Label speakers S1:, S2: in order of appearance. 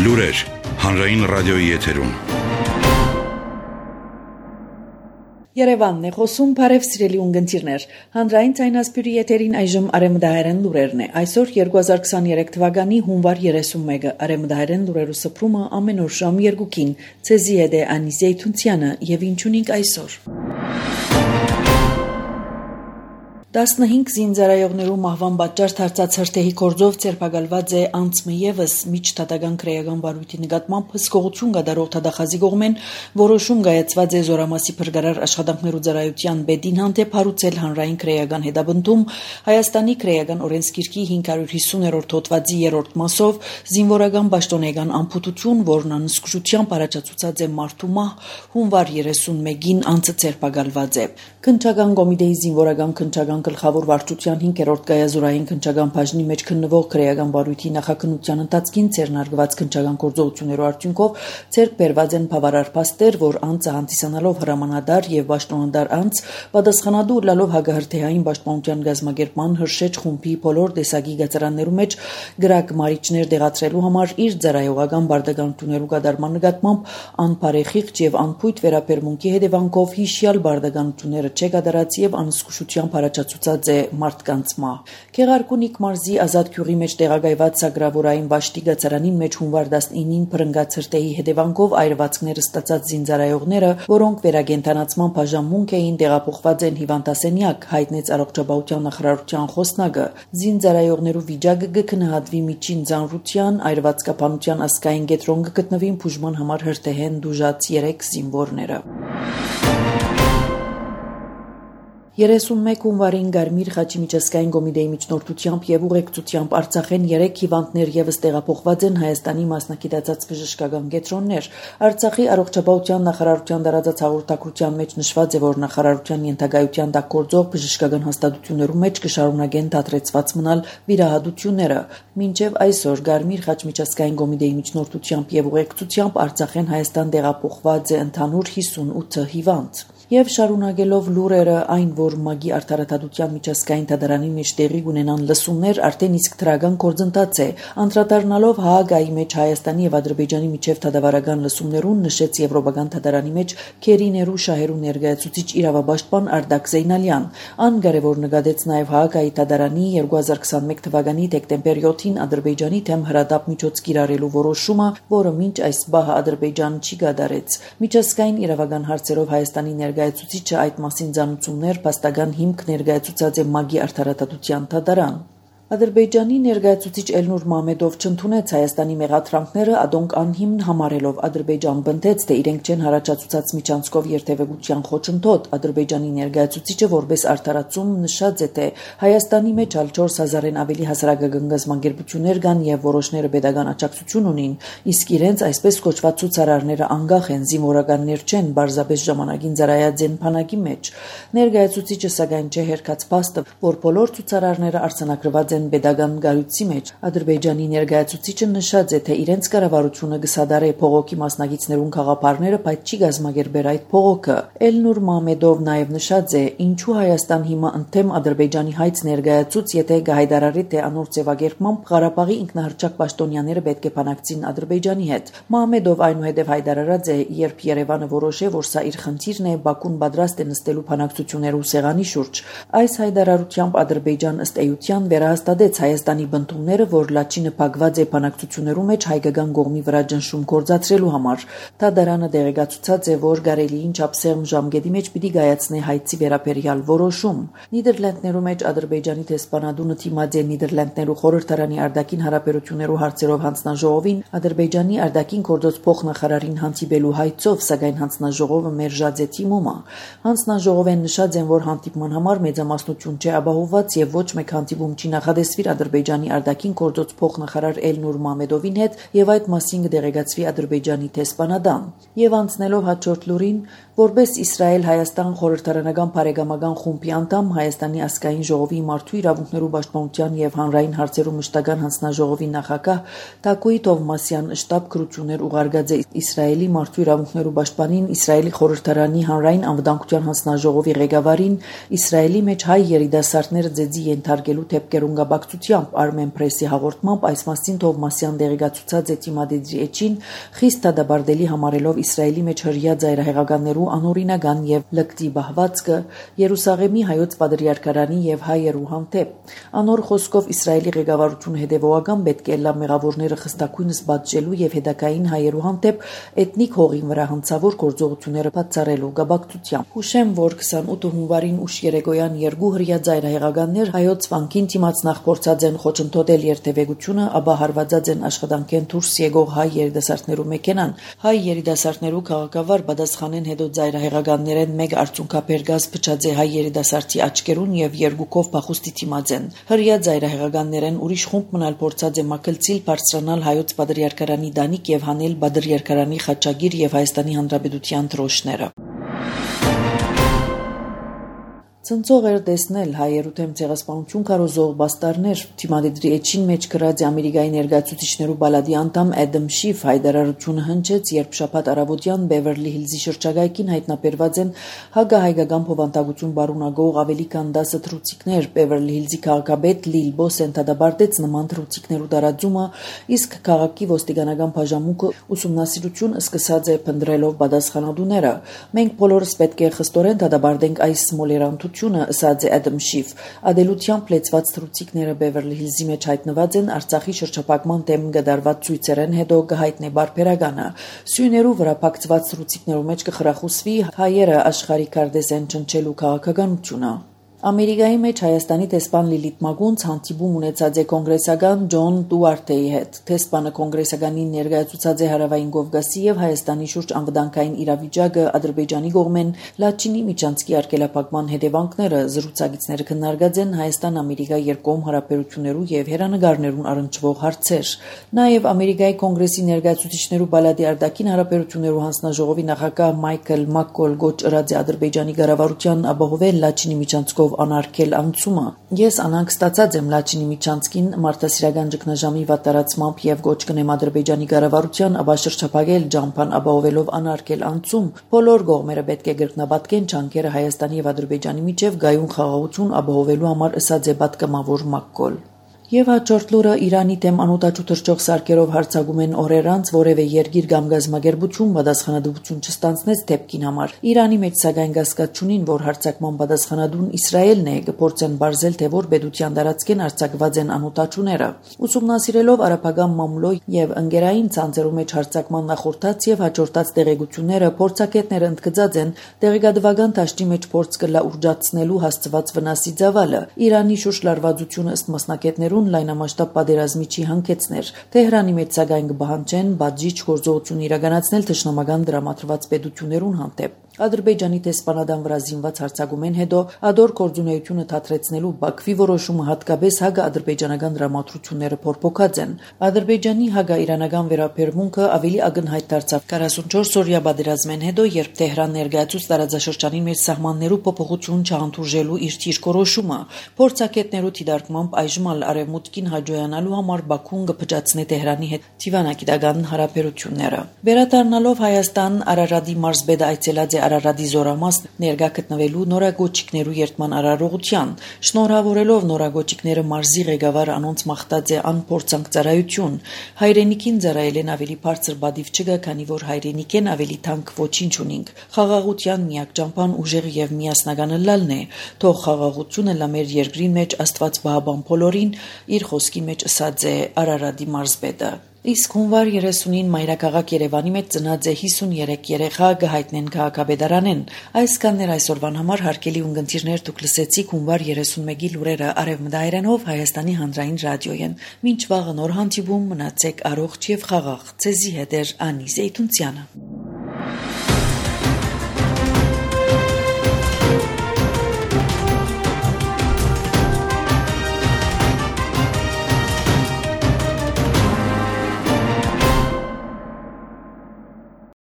S1: Լուրեր հանրային ռադիոյի եթերում։
S2: Երևանն է խոսում, բարև սիրելի ունգընտիրներ։ Հանրային ցայնասպյուրի եթերին այժմ արևմտահայերեն լուրերն է։ Այսօր 2023 թվականի հունվար 31-ը արևմտահայերեն լուրերու սփռումը ամեն օր ժամ 2-ին։ Ցեզի հետ է Անիս Զեյթունցյանը եւ ինչունիկ այսօր։ 15 զինծառայողներու մահվան պատճառ դարձած հրթեհի գործով ցերպակալված է անցմը եւս միջդատական քրեական վարույթի նկատմամբ հսկողություն կատարող թադախազի կողմեն որոշում կայացված է Զորամասի փրկարար աշխատանքներու ծառայության բեդին հանդեպ հարուցել հանրային քրեական հետապնդում Հայաստանի քրեական օրենսգիրքի 550-րդ հոդվածի 3-րդ մասով զինվորական պաշտոնեական ամփոփություն, որն անսկսությամբ առաջացուցած է մարդու մահ հունվար 31-ին անցը ցերպակալված է։ Քննչական կոմիտեի զինվորական քննչական գլխավոր վարչության 5-րդ գայազորային քննչական բաժնի մեջ քննվող քրեական վարույթի նախաքննության ընթացքին ցերնարգված քննչական գործողություններու արդյունքով ցերկ բերված են բավարար փաստեր, որ անձը հանդիսանալով հրամանատար եւ պաշտոնատար անձ պատասխանատու լալով հագահրթեհային պաշտպանության գազམ་ագերման հրշեջ խումբի բոլոր տեսակի գծարաններու մեջ գրակ մարիչներ դեղացրելու համար իր ծառայողական բարդականություններու կատարման նկատմամբ անբարեխիղճ եւ անփույթ վերաբերմունքի հետևանքով հիշյալ բարդականությունները չկատարած եւ անսկսությամբ առաջացուցած է մարդկանց մահ։ Քեղարկունիք մարզի ազատ գյուղի մեջ տեղակայված Սագրավորային Վաշտի գծարանին մեջ հունվար 19-ին փրկած հրթեհի հետևանքով այրվածքները ստացած զինծառայողները, որոնք վերագենտանացման բաժանմունք էին, տեղափոխված են հիվանդասենյակ, հայտնեց առողջապահության նախարարության խոսնակը։ Զինծառայողներու վիճակը կգնահատվի միջին ծանրության, այրվածքապանության ազգային կենտրոն կգտնվին բուժման համար հրթեհեն դուժած 3 զինվորները։ 31 հունվարին Գարմիր Խաչի միջազգային կոմիտեի միջնորդությամբ եւ ուղեկցությամբ Արցախեն 3 հիվանդներ եւս տեղափոխված են Հայաստանի մասնակցած բժշկական կենտրոններ։ Արցախի առողջապահության նախարարության դարածած հաղորդակցության մեջ նշված է, որ նախարարության ենթակայության տակ գործող բժշկական հաստատություններու մեջ կշարունակեն դադրեցված մնալ վիրահատությունները։ Մինչև այսօր Գարմիր Խաչ միջազգային կոմիտեի միջնորդությամբ եւ ուղեկցությամբ Արցախեն Հայաստան տեղափոխված է ընդհանուր 58 հիվանդ։ Եվ շարունակելով լուրերը այն, որ ՄԱԳ-ի արդարադատության միջազգային դատարանի մեջ տեղի ունենան լսումներ, արդեն իսկ դրական գործընթաց է։ Անդրադառնալով Հաագայի մեջ Հայաստանի եւ Ադրբեջանի միջև դատավարական լսումներուն նշեց Եվրոպական դատարանի մեջ Քերիներու շահերու ներկայացուցիչ իրավապաշտպան Արդակ Զեյնալյան։ Ան կարևոր նկատեց նաեւ Հաագայի դատարանի 2021 թվականի դեկտեմբեր 7-ին Ադրբեջանի դեմ հրադապ միջոց կիրառելու որոշումը, որը մինչ այս բահը Ադրբեջանը չի կատարեց։ Միջազգային իրավական հարցերով Հայաստանի ներկայացուցիչը այդ մասին ցանուցումներ փաստական հիմք ներկայացուցած է ՄԱԳ-ի արդարադատության դատարան։ Ադրբեջանի ներկայացուցիչ Էլնուր Մամեդով չընդունեց Հայաստանի մեղադրանքները, ադոնք անհիմն համարելով Ադրբեջան բնդեց, թե իրենք չեն հարաճացուցած միջանցքով երթևեկության խոչընդոտ։ Ադրբեջանի ներկայացուցիչը որպես արդարացում նշած է, թե Հայաստանի մեջ ալ 4000-ին ավելի հասարակական գազམ་ագերբություններ կան եւ որոշները pedagogan աջակցություն ունին, իսկ իրենց այսպես կոչված ցուցարարները անգախ են, զինվորականներ չեն, բարձրապես ժամանակին ծառայած են բանակի մեջ։ Ներկայացուցիչը սակայն չհերքած փաստը, որ բոլոր ցուցարարները արձանագրված pedagogan գարույցի մեջ։ Ադրբեջանի ներկայացուցիչը նշած է, թե իրենց կառավարությունը կսադարե փողոքի մասնակիցներուն խաղապարները, բայց չի գազམ་ագերբեր այդ փողոքը։ Էլնուր Մամեդով նաև նշած է, ինչու Հայաստան հիմա ընդդեմ Ադրբեջանի հայց ներկայացուց, եթե կհայտարարի, թե անոր ձևակերպմամբ Ղարաբաղի ինքնահռչակ պաշտոնյաները պետք է բանակցին Ադրբեջանի հետ։ Մամեդով այնուհետև հայտարարած է, երբ Երևանը որոշե, որ սա իր խնդիրն է, Բաքուն պատրաստ է նստելու բանակցություններու սեղանի շուրջ։ Այս հայտարարությամբ Ադրբեջան ըստ էության վերահաստատեց Հայաստանի բնդումները, որ Լաչինը փակված է բանակցություններու մեջ հայկական կողմի վրա ճնշում գործադրելու համար։ Դատարանը դեղեկացուցած է, որ Գարելիին չափսեղմ ժամկետի մեջ պիտի կայացնի հայցի վերաբերյալ որոշում։ Նիդերլանդներու մեջ Ադրբեջանի դեսպանատունը թիմած է Նիդերլանդներու խորհրդարանի արտաքին հարաբերություններու հարցերով հանձնաժողովին Ադրբեջանի արտաքին գործոց փոխնախարարին հանդիպելու հայցով, սակայն հանձնաժողովը մերժած է թիմումը։ Հանձնաժողովեն նշած են, որ հանդիպման համար մեծամասնություն չէ ապահովված եւ ոչ մեկ հանդիպում չի նախադեсվիր Ադրբեջանի արտաքին գործոց փոխնախարար Էլնուր Մամեդովին հետ եւ այդ մասին կդեղեկացվի Ադրբեջանի դեսպանատան։ Եվ անցնելով հաջորդ լուրին, որպես Իսրայել-Հայաստան խորհրդարանական բարեկամական խումբի անդամ Հայաստանի ազգային ժողովի մարդու իրավունքներու պաշտպանության եւ հանրային հարցերու մշտական հանձնաժողովի նախագահ Թակուի Թովմասյան շտաբ քրություններ ուղարկած է Իսրայելի մարդու իրավունքներու պաշտպանին, Իսրայելի խորհրդարանի հանրային անվտանգության հանձնաժողովի ղեկավարին, Իսրայելի մեջ հայ երիտասարդները ձեզի ենթարկելու թեփկերուն կապակցությամբ Armen Press-ի հաղորդմամբ այս մասին Թովմասյան դեղեկացուցած է Թիմադեդրի էջին, խիստ դադարդելի համարելով Իսրայելի մեջ հրյա ծայրահեղականներու անօրինական եւ լկտի բահվածքը Երուսաղեմի հայոց պատրիարքարանի եւ հայերու հանդեպ։ Անոր խոսքով Իսրայելի ղեկավարությունը հետեւողական պետք է լա մեղավորները խստակույնս բացելու եւ հետակային հայերու հանդեպ էթնիկ հողին վրա հնցավոր գործողությունները բացառելու կապակցությամբ։ Հուշեմ, որ 28 հունվարին ուշ երեկոյան երկու հրյա ծայրահեղականներ հայոց վանքին դիմաց նախ փորձած են խոչընդոտել երթևեկությունը, ապա հարվածած են աշխատանքեն դուրս եկող հայ երիտասարդներու մեքենան։ Հայ երիտասարդներու քաղաքավար պատասխանեն հետո ծայրահեղականներեն մեկ արցունքաբեր գազ փչած է հայ երիտասարդի աչքերուն եւ երկուքով փախուստի դիմաց են։ Հրյա ծայրահեղականներեն ուրիշ խումբ մնալ փորձած է մակլցիլ բարձրանալ հայոց պատրիարքարանի դանիք եւ հանել պատրիարքարանի խաչագիր եւ Հայաստանի Հանրապետության դրոշները։ Ցնցող էր տեսնել հայերու թեմ ցեղասպանություն կարոզող բաստարներ Թիմադեդրի էջին մեջ գրած Ամերիկայի ներկայացուցիչներու բալադի անդամ Էդմ Շիֆ հայտարարությունը հնչեց, երբ շաբաթ առավոտյան Բևերլի Հիլզի շրջակայքին հայտնաբերված են հագահայկական փոխանցագություն բարունագող ավելի քան 10 թռուցիկներ։ Բևերլի Հիլզի քաղաքապետ Լիլ Բոսեն դադարեցրեց նման թռուցիկներու տարածումը, իսկ քաղաքի ոստիկանական բաժանմունքը ուսումնասիրություն սկսած է փնտրելով պատասխանատուները։ Մենք բոլորս պետք է խստորեն դադարենք այս մոլերանտությունը, ասաց է Էդմ Շիֆ։ Ադելությամբ լեցված թռուցիկները Բևերլի Հիլզի մեջ հայտնված են Արցախի շրջափակման դեմ գդարված ցույցերեն հետո կհայտնի բարբերականը։ Սյուներու վրա փակցված թռուցիկներու մեջ կխրախուսվի հայերը աշխարհի կարդեսեն չնչելու քաղաքականությունը։ Ամերիկայի մեջ Հայաստանի տեսփան Լիլիթ Մագունց հանդիպում ունեցած է կոնգրեսական Ջոն Դուարտեի հետ։ Տեսփանը կոնգրեսականին ներկայացուցած է Հարավային Կովկասի եւ Հայաստանի շուրջ անվտանգային իրավիճակը, Ադրբեջանի կողմեն Լաչինի միջանցքի արգելափակման հետևանքները, զրուցակիցները քննարկած են Հայաստան-Ամերիկա երկկողմ հարաբերություններու եւ հերանեկարներուն առնչվող հարցեր։ Նաեւ Ամերիկայի կոնգրեսի ներկայացուցիչներու բալադի արտաքին հարաբերություններու հանձնաժողովի նախագահ Մայքլ Մակկոլ գոչ ըրած է Ադրբեջանի կառավարության ապահովել Լաչինի միջանցքով անարգել անցումը։ Ես անանք ստացած եմ Լաչինի միջանցքին մարդասիրական ճգնաժամի վատարացմամբ եւ գոչ կնեմ Ադրբեջանի կառավարության ապա շրջափակել ջամփան ապահովելով անարգել անցում։ Բոլոր կողմերը պետք է գրկնապատկեն ճանկերը Հայաստանի եւ Ադրբեջանի միջև գայուն խաղաղություն ապահովելու համար, ըսած է պատգամավոր Մակկոլ։ Եվ հաջորդ լուրը Իրանի դեմ անօտաչու թռչող սարքերով հարձակում են օրեր անց որևէ երկիր կամ գազམ་ագերբություն պատասխանատվություն չստանձնեց դեպքին համար։ Իրանի մեջ սակայն կասկած չունին, որ հարձակման պատասխանատուն Իսրայելն է, կփորձեն բարձել, թե որ պետության տարածքեն արձակված են անօտաչուները։ Ուսումնասիրելով արաբական մամուլո եւ ընկերային ցանցերու մեջ հարձակման նախորդած եւ հաջորդած տեղեկությունները, փորձագետները ընդգծած են տեղեկատվական դաշտի մեջ փորձ կլա ուրջացնելու հասցված վնասի ծավալը։ Իրանի շուրջ լարվածությունը ըստ մասնակիցներու լայնամասշտաբ պատերազմի չի հանգեցներ։ Թեհրանի մեջ սակայն կբահանջեն բաժիչ գործողություն իրականացնել թշնամական դրամատրված պետություններուն հանդեպ։ Ադրբեջանի տեսփանադան վրա զինված հարձակումեն հետո ադոր գործունեությունը թատրեցնելու Բաքվի որոշումը հատկապես հագա-ադրբեջանական դրամատրությունները փորփոքած են։ Ադրբեջանի հագա-իրանական վերաբերմունքը ավելի ակնհայտ դարձավ 44 օրյա պատերազմեն հետո, երբ Թեհրան ներկայացուց տարածաշրջանի մեջ սահմաններու փոփոխություն չհանդուրժելու իր թիրքորոշումը։ Փորձագետներու դիտարկմամբ այժմ արևմուտքին հաջողանալու համար Բաքուն կփճացնի Թեհրանի հետ դիվանագիտական հարաբերությունները։ Վերադառնալով Հայաստան, Արարատի մարզպետը այցելած է Արարատի զորամաս ներկա գտնվելու նորագոչիկներու երթման արարողության, շնորհավորելով նորագոչիկները մարզի ղեկավար անոնց մաղթած է անփորձանք ծառայություն։ Հայրենիքին ծառայելեն ավելի բարձր բադիվ չկա, քանի որ հայրենիքեն ավելի թանկ ոչինչ ունինք։ Խաղաղության միակ ճամփան ուժեղ եւ միասնական լալն է։ Թող խաղաղությունը լա մեր երկրի մեջ Աստված բահաբան բոլորին, իր խոսքի մեջ ասած է Արարատի մարզպետը։ Իսկ հունվար 30-ին մայրաքաղաք Երևանի մեջ ծնած է 53 երեխա կհայտնեն քաղաքապետարանեն։ Այս կաններ այսօրվան համար հարգելի ունկնդիրներ, դուք լսեցիք հունվար 31-ի լուրերը Արևմտահայերենով Հայաստանի հանրային ռադիոյեն։ Մինչ վաղը նոր հանդիպում, մնացեք առողջ եւ խաղաղ։ Ձեզի հետ է Անի Զեյթունցյանը։